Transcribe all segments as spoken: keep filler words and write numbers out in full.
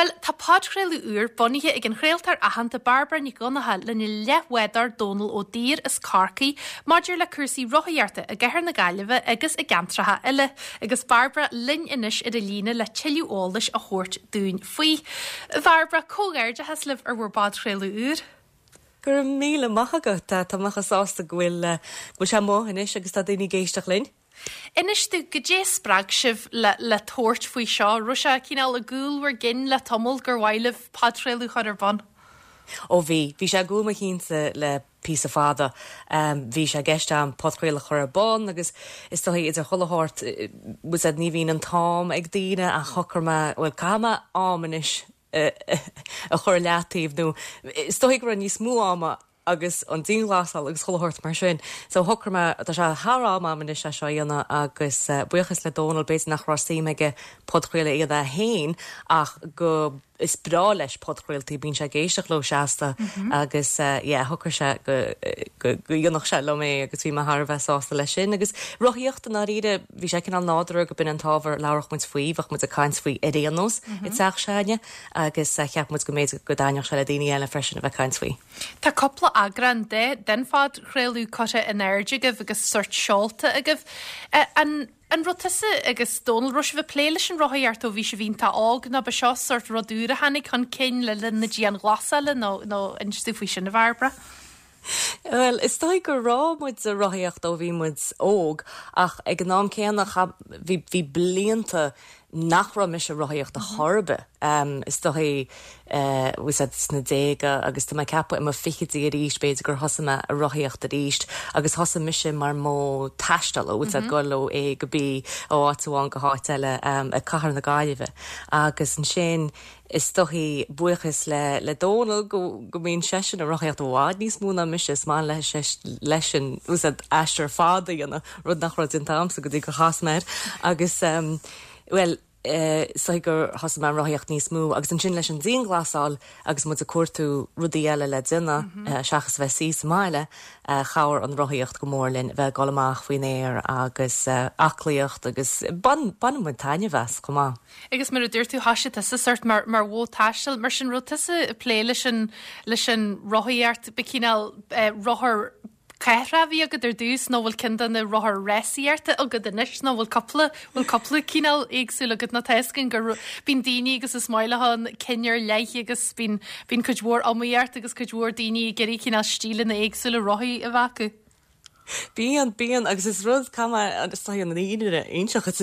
Bhuel, tá podchraoladh úr bunaithe ag an chraoltóir aitheanta Bairbre Nic Dhonncha lena leathbhádóir Dónal Ó Duibhir as Corcaigh maidir le cúrsaí rothaíochta i gcathair na Gaillimhe agus i gceantracha eile, agus Bairbre linn anois ar an líne le tuilleadh eolais a thabhairt dúinn faoi. Bhairbre, comhghairdeachas libh ar bhur bpodchraoladh úr. Go raibh míle maith agat. Tá mé sásta go bhfuil go bhfuil sé amuigh anois agus tá daoine ag éisteacht linn. Inis domh goidé spreag sibh le le tabhairt faoi seo, raibh sé cineál i gcúl bhur gcinn le tamall gur mhaith libh podchraoladh a chur ar bun. Ó bhí, bhí sé i gcúl mo chinnse le píosa fada. Bhí sé i gceist agam podchraoladh a chur ar bun agus is dóigh idir chuile shórt bhfuil ní bhíonn an t-am ag daoine ach shocraigh mé bhuel caithfidh mé am anois a chur leataobh nó is dóigh go raibh níos mó ama agus an dianghlasáil agus chuile shórt mar sin. So shocraigh mé tá sé thar am am anois é seo a dhéanamh agus buíochas le Dónal b'fhéidir nach raibh suim aige podchraoladh a dhéanamh féin ach go is breá leis podchraoltaí bíonn sé ag éisteacht leo seasta agus yeah shocraigh sé go go go dhéanfadh sé liom é agus bhí mé thar a bheith sásta leis sin agus rothaíocht i ndáiríre bhí sé cineál nádúrtha go b'in an t-ábhar labharfadh muid faoi bheadh muid ag caint faoi ar aon nós i dteach s'againne agus cheap muid go mb'fhéidir go dtaitneodh sé le daoine eile freisin a bheith caint faoi. Tá cúpla eagrán de den phodchraoladh curtha in airde agaibh agus sort seolta agaibh. An an raibh tusa agus Dónal raibh sibh ag plé leis an rothaíocht ó bhí sibh iontach óg nó ba seo sort rud úr a tháinig chun cinn le linn na dianghlasála nó nó inis domh faoi sin a Bhairbre. Well, is dóigh go raibh muid ag rothaíocht ó bhí muid óg ach ag an am céanna bhí bhí blianta nach raibh mise ag rothaíocht ar chor ar bith. Um, is dóigh uh, sna déaga agus tá mé ag ceapadh i mo fichidí arís b'fhéidir gur thosaigh mé ag rothaíocht arís agus thosaigh mise mar modh taistil ó mm -hmm. dul ó A go B ó áit amháin go háit eile um, i gcathair na Gaillimhe agus ansin is dóigh buíochas le le Dónal go go mbíonn seisean ag rothaíocht i bhfad níos mó ná mise is maith leis leis an aistear fada dhéanamh rud nach raibh déanta agamsa go dtí gur chas mé agus um, well uh, so gur thosaigh mé rothaíocht níos mó agus ansin leis an dianghlasáil agus muid ag cuartú rudaí eile le déanamh mm -hmm. uh, seachas bheith suí sa mbaile uh, chabhraigh an rothaíocht go mór linn bheith ag dul amach faoin aer agus uh, aclaíocht agus bain muid taitneamh as chomh maith. Agus mar a dúirt tú thosaigh tusa sort mar mar mhodh taistil mar sin raibh tusa ag plé leis an leis an rothaíocht ba cineál uh, rothar cathrach a bhí agat ar dtús nó bhfuil ceann de na rothair rásaíochta agat anois nó bhfuil cúpla bhfuil cúpla cineál éagsúil agat nó tá a fhios againn gur bíonn daoine agus is maith leo an cinn ar leith agus bíonn bíonn cuid mhór iomaíocht agus cuid mhór daoine ag iarraidh cineál stíleanna éagsúla rothaí a bheith acu. Bíonn bíonn agus is rud an iontach ach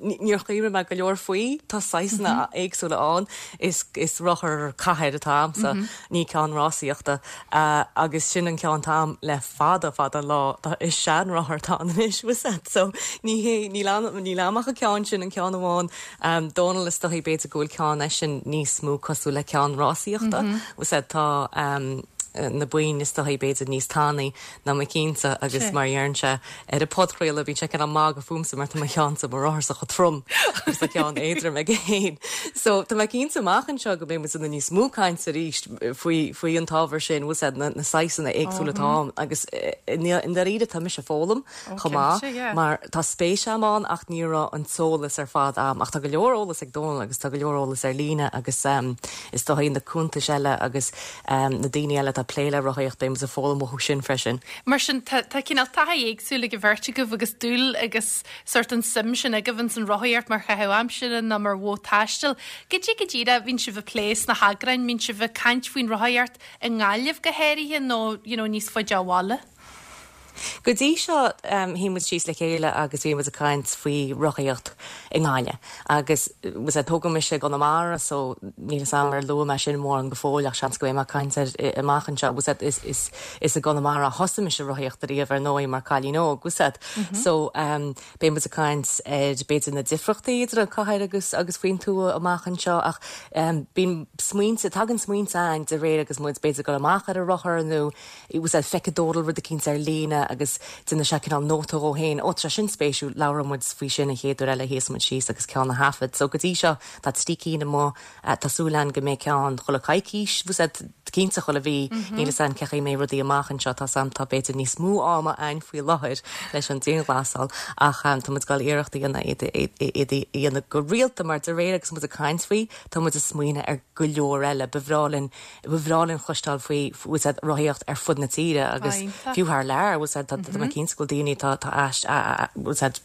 níor chuimhnigh mé go leor faoi tá saghsanna éagsúla ann is is rothar cathair atá agamsa ní ceann rásaíochta agus sin an ceann atá agam le fada fada lá is sean rothar atá anois so ní hé ní ní amach a ceann sin an ceann amháin Dónal is dóigh b'fhéidir go bhfuil ceann eisean níos mó cosúil le ceann rásaíochta tá na boinn is dóigh b'fhéidir níos tanaí ná mo cheannsa agus mar deireann sé ar an bpodchraoladh bíonn sé ag magadh fúmsa mar tá mo cheannsa mo rotharsa chomh trom agus tá ceann éadrom aige féin. So tá mé cinnte amach anseo go mbeidh muid níos mó caint arís faoi faoi an t-ábhar sin bhfuil na, na saghsanna éagsúla atá ann agus i ndáiríre tá mise ag foghlaim chomh maith mar tá spéis agam ann ach ní raibh an t-eolas ar fad agam ach tá go leor eolas ag Dónal agus tá go leor eolas ar líne agus um, is dóigh na cuntais eile agus um, na daoine eile atá plé le rothaíocht beidh ag foghlaim uathu sin freisin. Mar sin tá cineál taithí éagsúil ag an bheirt agaibh agus dúil agus sort an suim sin agaibh insan rothaíocht mar chaitheamh aimsire nó mar mhodh taistil. Goidé go díreach bhíonn sibh ag plé sna heagráin, mbíonn sibh ag caint faoin rothaíocht i nGaillimh go háirithe nó you know, níos faide ó bhaile. Go dtí seo um, shuigh muid síos le chéile agus bhí muid ag caint faoi rothaíocht i nGaillimh agus was tógadh mise i gConamara so níl am ar lu me sin mór an go fóilleach seans go mbeidh caint ar amach anseo was is is is i gConamara thosaigh mise rothaíocht riamh ar ndóigh mar cailín óg was mm -hmm. so um, beidh muid ag caint ar b'fhéidir na difríochtaí idir an cathair agus agus faoin tuath amach anseo ach um, bíonn smaointe tagann smaointe ann de réir agus muid b'fhéidir go amach ar a rothar nó was feicfidh Dónal rud eicínt ar líne agus déanann sé cineál nóta dhó féin, ó tá sin spéisiúil labhróidh muid faoi sin an chéad uair eile a sheas muid síos agus ceann a thaifead. So go dtí seo tá trí cinn amuigh, tá súil againn go mbeidh ceann chuile coicís, bhfuil a fhios agat, cinnte chuile mhí, níl a fhios againn cén chaoi a mbeidh rudaí amach anseo, tá a fhios agam tá b'fhéidir níos mó ama againn faoi láthair leis an dianghlasáil ach tá muid ag dul iarracht a dhéanamh iad iad a dhéanamh go rialta mar de réir agus muid ag caint faoi tá muid ag smaoineamh ar go leor eile. Ba bhreá linn ba bhreá linn cloisteáil faoi bhfuil a fhios agat rothaíocht ar fud na tíre agus fiú thar lear bhfuil a fhios agat tá mé cinnte go bhfuil daoine tá tá eist bhfuil a fhios agat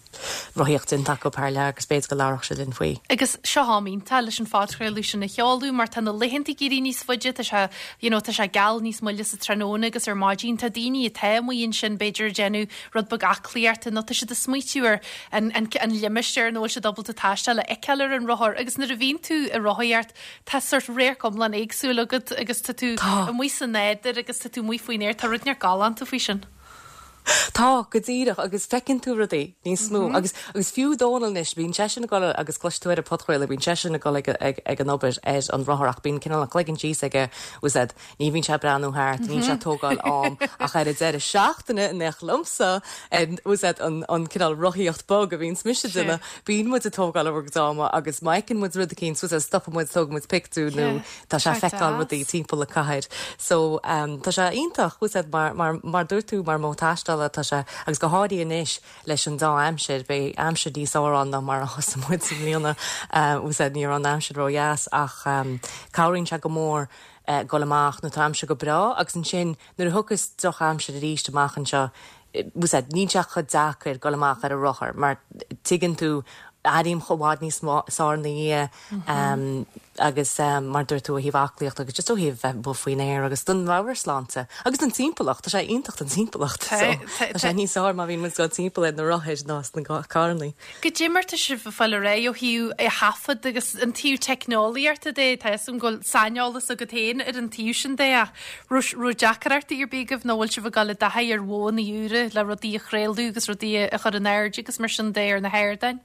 rothaíocht déanta acu thar lear agus b'fhéidir go labhródh siad linn faoi. Agus seo am iontach leis an phodchraoladh sin a sheoladh mar tá na laethanta ag éirí níos faide, tá sé you know, tá sé geal níos moille sa tráthnóna agus ar maidin tá daoine atá amuigh ansin b'fhéidir ag déanamh rud beag aclaíochta nó tá siad ag smaoitiú ar an, an, an limistéar nó siad ábalta taisteal a fheiceáil ar an rothar agus nuair a bhíonn tú ag rothaíocht tá sort radharc iomlán éagsúil agat agus tá tú amuigh sa nádúr agus tá tú amuigh faoin aer tá rud neart galánta faoi sin. Tá go díreach agus feiceann tú rudaí níos mó agus agus fiú Dónal anois bíonn seisean ag dul agus cloisfidh tú ar an podchraoladh bíonn seisean ag dul ag ag ag an obair ar an rothar ach bíonn cineál an cloigeann síos aige bhfuil a fhios agat ní bhíonn sé ag breathnú thart níl sé ag tógáil am ach ar an deireadh seachtaine in éineacht liomsa bhfuil a fhios agat an an cineál rothaíocht bog a bhíonns mise ag déanamh bíonn muid ag tógáil ár gcuid ama agus má fheiceann muid rud eicínt bhfuil a fhios agat stopann muid tógann muid pictiúr nó tá sé ag feiceáil rudaí timpeall na cathair so um, tá sé iontach bhfuil a fhios agat mar mar mar dúirt tú mar modh taisteála tá sé agus go háirithe anois leis an dá aimsir beidh aimsir níos fearr ann ná mar a thosaigh muid i mbliana bhfuil a fhios agat ní raibh an aimsir ródheas ach um, cabhraíonn sé go mór uh, dul amach nuair atá aimsir go breá agus ansin nuair a thiocfas drochaimsir arís amach anseo bhfuil a fhios agat níl sé chomh deacair dul amach ar an rothar mar tuigeann tú airím i bhfad níos fearr ina dhiaidh um, agus um, mar dúirt tú ó thaobh aclaíocht agus just ó thaobh bheith bheith faoin aer agus don mheabhairshláinte agus don timpeallacht tá sé iontach don timpeallacht so tá sé níos fearr má bhíonn muid ag dul timpeall ar na rothair ná sna carranna. Goidé mar tá sibh ag fáil ar aghaidh ó thaobh é thaifead agus an taobh teicneolaíochta de tá an bhfuil saineolas agat féin ar an taobh sin de ach raibh deacrachtaí ar bith agaibh nó bhfuil sibh ag dul i dtaithí ar mhodhanna úra le rudaí a chraoladh agus rudaí a chur in airde agus mar sin de ar na hardáin.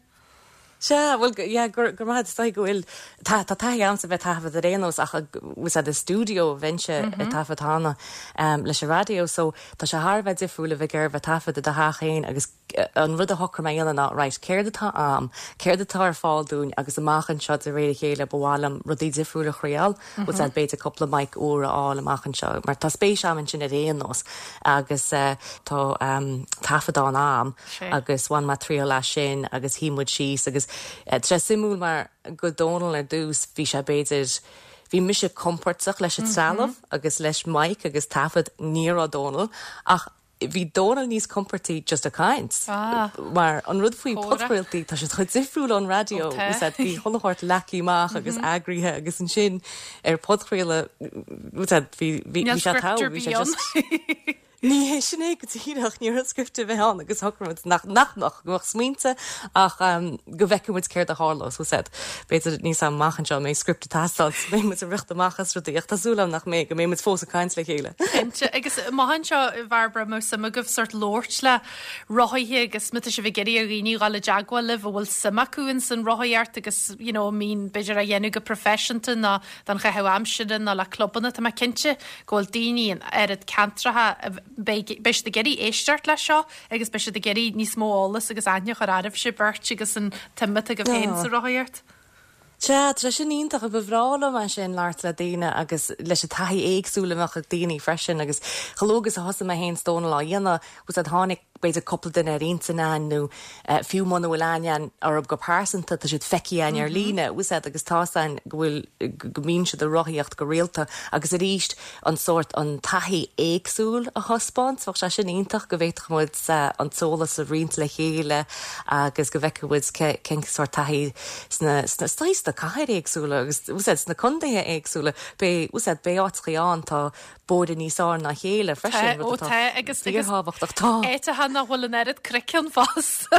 Sea bhuel yeah, gur gur maith is go bhfuil tá tá taithí agamsa bheith taifead ar aon nós ach bhfuil a fhios agat i stiúideo a bheinnse ag taifead cheana um, leis an raidió so tá sé thar a bheith difriúil a bheith ar bheith taifead i do theach féin agus an rud a shocraigh mé a dhéanamh ná right céard atá am céard atá ar fáil dúinn agus amach anseo de réir a chéile ba mhaith liom rudaí difriúla a thriail mm -hmm. b'fhéidir cúpla mic úr a fháil amach anseo mar tá spéis agam ansin ar aon nós agus uh, tá um, taifeadán agam agus bhain mé triail as sin agus shuigh muid síos agus uh, tá sé suimiúil mar go Dónal ar dtús bhí sé b'fhéidir bhí mise compordach leis an trealamh agus leis mic agus taifead ní raibh Dónal ach bhí Dónal níos compordaí just ag caint. Ah. Mar an rud faoi podchraoltaí tá siad chomh difriúil ón raidió bhí chuile shórt leagtha amach agus eagraithe agus ansin ar podchraoladh bhí bhí sé tá bhí sé just Ní hé sin é go díreach ní raibh script a bheith ann agus shocraigh nach nach nach go smaointe ach um, go bhfeicfidh muid céard a tharlós so said. B'fhéidir níos amach anseo mbeidh script ag teastáil beidh muid ag rith amach as rudaí ach tá súil agam nach mbeidh go mbeidh muid fós ag caint le chéile. Cinnte agus amach anseo Bhairbre más suim agaibh sort labhairt le rothaithe agus má tá sibh ag iarraidh ar dhaoine dul i dteagmháil libh a bhfuil suim acu in san rothaíocht agus you know, mín b'fhéidir a dhéanamh go proifisiúnta ná don chaitheamh aimsire ná le clubanna tá mé cinnte go bhfuil daoine in áirid ceantracha beidh siad ag iarraidh éisteacht leis seo agus beidh siad ag iarraidh níos mó eolas agus aithne a chur oraibhse beirt agus an tsuim atá agaibh féin sa rothaíocht. Sea, tá sin iontach a ba bhreá liom é sin labhairt le daoine agus leis an taithí éagsúil a bheadh ag daoine freisin agus chomh luath agus a thosaigh mé féin is Dónal á dhéanamh agus tháinig b'fhéidir cúpla duine ar intinn ann nó uh, fiú muna bhfuil aithne orthu go pearsanta tá siad feicthe againn ar líne úsáid agus tá an go bhfuil go mbíonn siad ag rothaíocht go rialta agus arís an sórt an taithí éagsúil a thaispeáint bheadh sé sin iontach go bhféadfadh muid uh, an t-eolas a roinnt le chéile agus go bhfeicfidh muid cén sórt taithí sna sna sna cathair éagsúla agus úsáid sna contaetha éagsúla be úsáid be áiteacha ann tá bóithre níos fearr ná chéile freisin ó tá agus fíorthábhachtach tá. Áiteacha nach bhfuil an oiread cnoic ann fosta.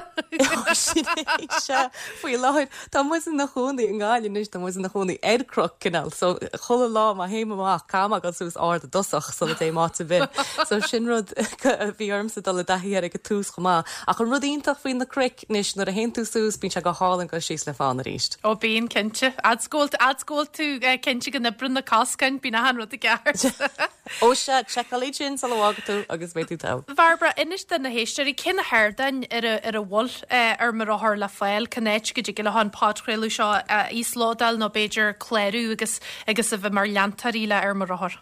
Sin é, sea. Faoi láthair tá muid ina chónaí i nGaillimh anois, tá muid ina chónaí ar chnoc cineál, so chuile lá má théim amach caithfidh mé dul suas ard i dtosach sula dtéim áit ar bith. So sin rud a bhí ormsa dul i dtaithí air ag an tús chomh maith. Ach an rud iontach faoi na cnoic anois nuair a théann tú suas bíonn sé go hálainn dul síos le fána arís. Ó bíonn cinnte. Fhad 's go bhfuil fhad 's go bhfuil tú cinnte go n-oibreann na coscáin, bíonn achan rud i gceart. Ó sea, seiceáil iad sin sula bhfágfaidh tú agus beidh tú togha. Bhairbre, inis do na héisteoirí cé na hardáin ar a ar a bhfuil Ar Mo Rothar le fáil, cén áit go dtig leo an podchraoladh seo a íoslódáil nó b'fhéidir clárú agus agus a bheith mar leantóirí le Ar Mo Rothar.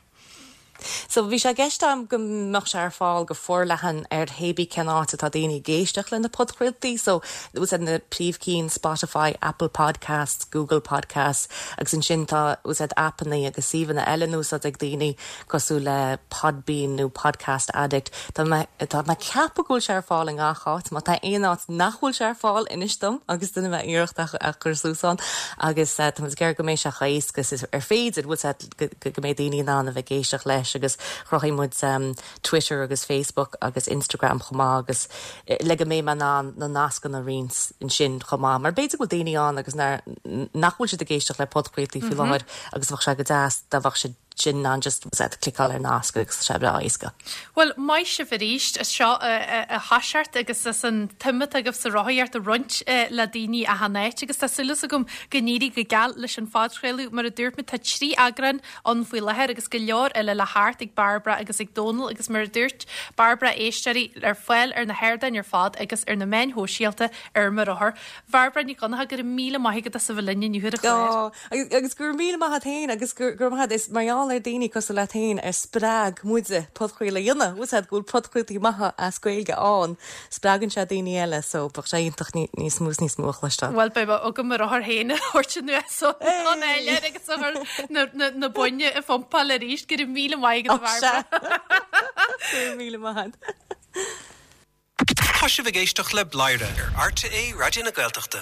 So bhí sé i gceist agam go mbeadh sé ar fáil go forleathan ar hébí cén áit atá daoine ag éisteacht le na podchraoltaí, so úsáid na príomhchinn Spotify, Apple Podcasts, Google Podcasts agus ansin tá úsáid aipeanna agus suíomhanna eile in úsáid ag daoine cosúil le Podbean nó Podcast Addict. Tá mé tá mé ag ceapadh go bhfuil sé ar fáil i ngach áit, má tá aon áit nach bhfuil sé ar fáil inis dom agus déanfaidh mé iarracht a a chur suas ann agus tá muid ag iarraidh go mbeidh sé chomh éasca is ar féidir bhfuil sé go go mbeidh daoine in ann a bheith ag éisteacht leis agus chruthaigh muid um, Twitter agus Facebook agus Instagram chomh maith agus le go mbeidh mé in ann na nascanna a roinnt ansin chomh maith. Mar b'fhéidir go bhfuil daoine ann agus nach bhfuil siad ag éisteacht le podchraoltaí faoi láthair agus bheadh sé go deas dá mbeadh siad sin an just cliceáil ar nasc agus sé breá éasca. Well maith sibh arís as seo a thoiseacht agus as an tsuim atá agaibh sa rothaíocht a roinnt le daoine achan áit agus tá súil agam go n-éirí go geal leis an phodchraoladh mar a dúirt mé tá trí eagrán ann faoi láthair agus go leor eile le theacht ag Bairbre agus ag Dónal agus mar a dúirt Bairbre éisteoirí ar fáil ar na hardáin ar fad agus ar na meáin shóisialta ar mo rothar. Bairbre Ní Dhonncha go raibh míle maith agat as a bheith linn inniu ar an chlár. Agus go raibh míle maith agat féin agus go raibh maith is mar gheall ar daoine cosúil leat féin a spreag muide podchraoladh a dhéanamh, úsáid go bhfuil podchraoltaí maithe as Gaeilge ann, spreagann sé daoine eile so bheadh sé iontach níos mó níos mó a chloisteáil. Well beidh agam mo rothar féin a thabhairt anuas so an eile agus a chur na boinn a phumpáil arís go raibh míle maith agat a Bhairbre. Go raibh míle maith agat. Tá sibh ag éisteacht le Bladhaire ar RTÉ Raidió na Gaeltachta.